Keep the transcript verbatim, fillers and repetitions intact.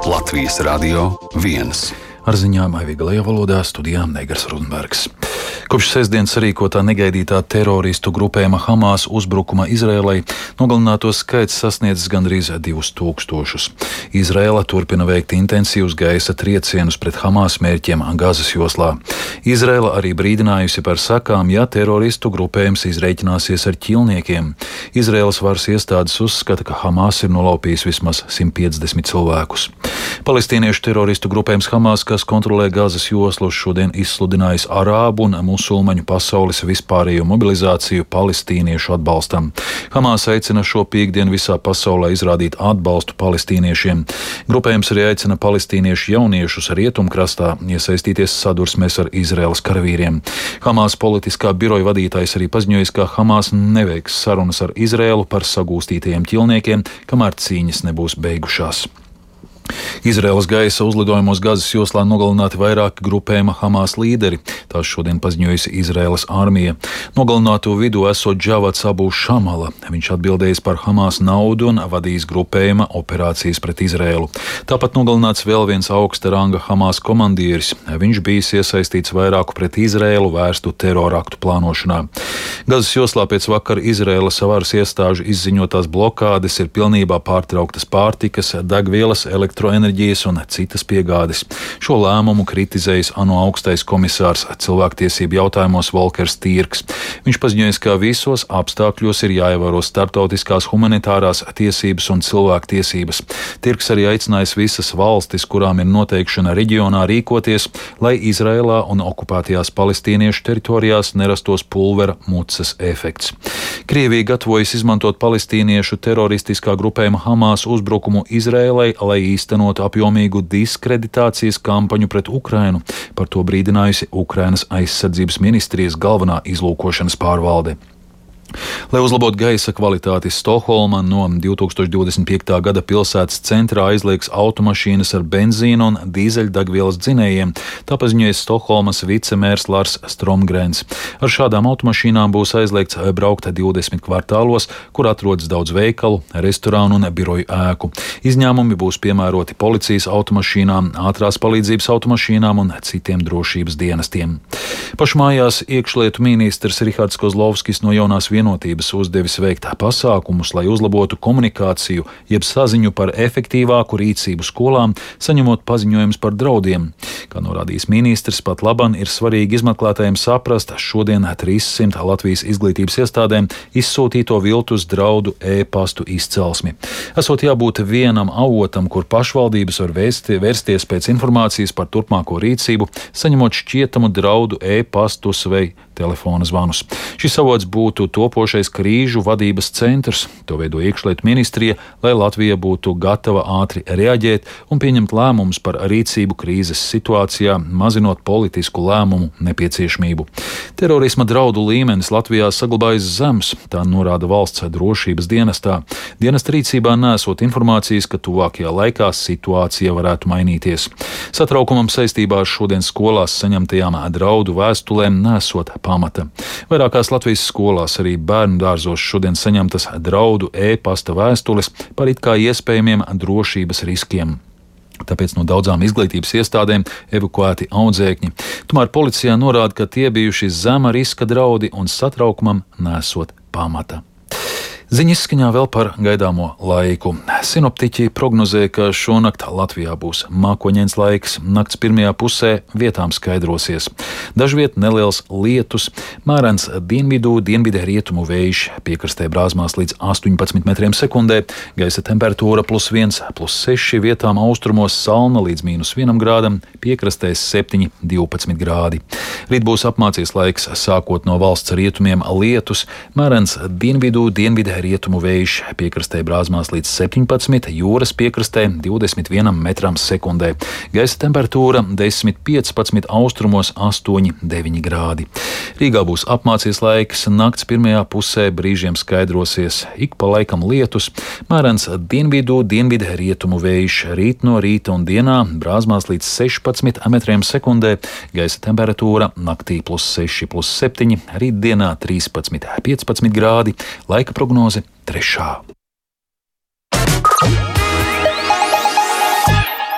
Latvijas Radio viens. Ar ziņām aivīgalajā valodā studijā Negars Rudbergs. Kopš sestdienas sarīkotā negaidītā teroristu grupējuma Hamas uzbrukuma Izrēlai nogalināto skaits sasniedzis gandrīz divus tūkstošus. Izrēla turpina veikt intensīvus gaisa triecienus pret Hamas mērķiem Gazas joslā. Izrēla arī brīdinājusi par sekām, ja teroristu grupējums izreikināsies ar ķilniekiem. Izrēlas varas iestādes uzskata, ka Hamas ir nolaupījis vismaz simt piecdesmit cilvēkus. Palestīniešu teroristu grupējums Hamas, kas kontrolē Gazas joslu, šodien izsludinājis arābu un musulmaņu pasaules vispārējo mobilizāciju palestīniešu atbalstam. Hamas aicina šo piektdienu visā pasaulē izrādīt atbalstu palestīniešiem. Grupējums arī aicina palestīniešu jauniešus rietumkrastā iesaistīties sadursmēs ar Izraēlas karavīriem. Hamas politiskā biroja vadītājs arī paziņojis, ka Hamas neveiks sarunas ar Izraēlu par sagūstītajiem ķilniekiem, kamēr cīņas nebūs beigušās. Izraēlas gaisa uzlidojumos Gazas joslā nogalināti vairāki grupējuma Hamas līderi. Tās šodien paziņojusi Izraēlas armija. Nogalināto vidū esot Džavats Abu Šamala. Viņš atbildējis par Hamas naudu un vadījis grupējuma operācijas pret Izraēlu. Tāpat nogalināts vēl viens augsta ranga Hamas komandieris. Viņš bijis iesaistīts vairāku pret Izraēlu vērstu teroraktu plānošanā. Gazas joslā pēc vakar Izraēlas varas iestāžu izziņotās blokādes ir pilnībā pārtrauktas pārtikas, degvielas, elektroenerģijas un citas piegādes. Šo lēmumu kritizējis ANO augstais komisārs cilvēktiesību jautājumos Volkers Tirks. Viņš paziņojis, ka visos apstākļos ir jāievēro starptautiskās humanitārās tiesības un cilvēktiesības. Tirks arī aicinājis visas valstis, kurām ir noteikšana reģionā, rīkoties, lai Izraēlā un okupētajās palestīniešu teritorijās nerastos pulvera mucas efekts. Krievija gatavojas izmantot palestīniešu teroristiskā grupējuma Hamas uzbrukumu Izraēlai, lai īstenot apjomīgu diskreditācijas kampaņu pret Ukrainu. Par to brīdinājusi Ukrainas aizsardzības ministrijas galvenā izlūkošanas pārvalde. Lai uzlabotu gaisa kvalitāti, Stokholma no divi tūkstoši divdesmit piektā gada pilsētas centrā aizliegs automašīnas ar benzīnu un dīzeļdegvielas dzinējiem, tā paziņoja Stokholmas vicemērs Lars Stromgrens. Ar šādām automašīnām būs aizliegts braukt divdesmit kvartālos, kur atrodas daudz veikalu, restorānu un biroju ēku. Izņēmumi būs piemēroti policijas automašīnām, ātrās palīdzības automašīnām un citiem drošības dienestiem. Pašmājās iekšlietu ministrs Rihards Kozlovskis no jaunās vienotības uzdevis veikt pasākumus, lai uzlabotu komunikāciju, jeb saziņu par efektīvāku rīcību skolām, saņemot paziņojumus par draudiem. Kā norādījis ministrs, pat laban ir svarīgi izmeklētājiem saprast šodien trīssimt Latvijas izglītības iestādēm izsūtīto viltus draudu e-pastu izcelsmi. Esot jābūt vienam avotam, kur pašvaldības var vēsti, vērsties pēc informācijas par turpmāko rīcību, saņemot šķietamu draudu e-pastus vai telefona zvanus. Šis avots būtu topošais krīžu vadības centrs. To veido iekšlietu ministrija, lai Latvija būtu gatava ātri reaģēt un pieņemt lēmumus par rīcību krīzes situācijā, mazinot politisku lēmumu nepieciešamību. Terorisma draudu līmenis Latvijā saglabājas zems, tā norāda valsts drošības dienestā. Dienesta rīcībā nesot informācijas, ka tuvākajā laikā situācija varētu mainīties. Satraukumam saistībā ar šodien skolās saņemtajām draudu vēstulēm nesot pamata. Vairākās Latvijas skolās, arī bērnu dārzos šodien saņemtas draudu e-pasta vēstules par it kā iespējamiem drošības riskiem. Tāpēc no daudzām izglītības iestādēm evakuēti audzēkņi. Tomēr policijā norāda, ka tie bijuši zema riska draudi un satraukumam nesot pamata. Ziņa izskaņā vēl par gaidāmo laiku. Sinoptiķi prognozē, ka šonakt Latvijā būs mākoņains laiks, nakts pirmajā pusē vietām skaidrosies. Dažviet neliels lietus, mērens dienvidu, dienvidē rietumu vējš, piekrastē brāzmās līdz astoņpadsmit metriem sekundē, gaisa temperatūra plus viens, plus seši, vietām austrumos salna līdz mīnus vienam grādam, piekrastē septiņi, divpadsmit grādi. Rīt būs apmācies laiks, sākot no valsts rietumiem lietus, mērens dienvidu, dienvidē rietumu vējš, piekrastē brāzmās līdz septiņpadsmit, jūras piekrastē divdesmit vienam metram sekundē. Gaisa temperatūra desmit, piecpadsmit, austrumos astoņi, deviņi grādi. Rīgā būs apmācies laiks, nakts pirmajā pusē brīžiem skaidrosies, ik pa laikam lietus, mērens dienvidu, dienvidē rietumu vējš, rīt no rīta un dienā brāzmās līdz sešpadsmit metriem sekundē, gaisa temperatūra naktī plus seši, plus septiņi, rītdienā trīspadsmit, piecpadsmit grādi, laika prognoze trešā.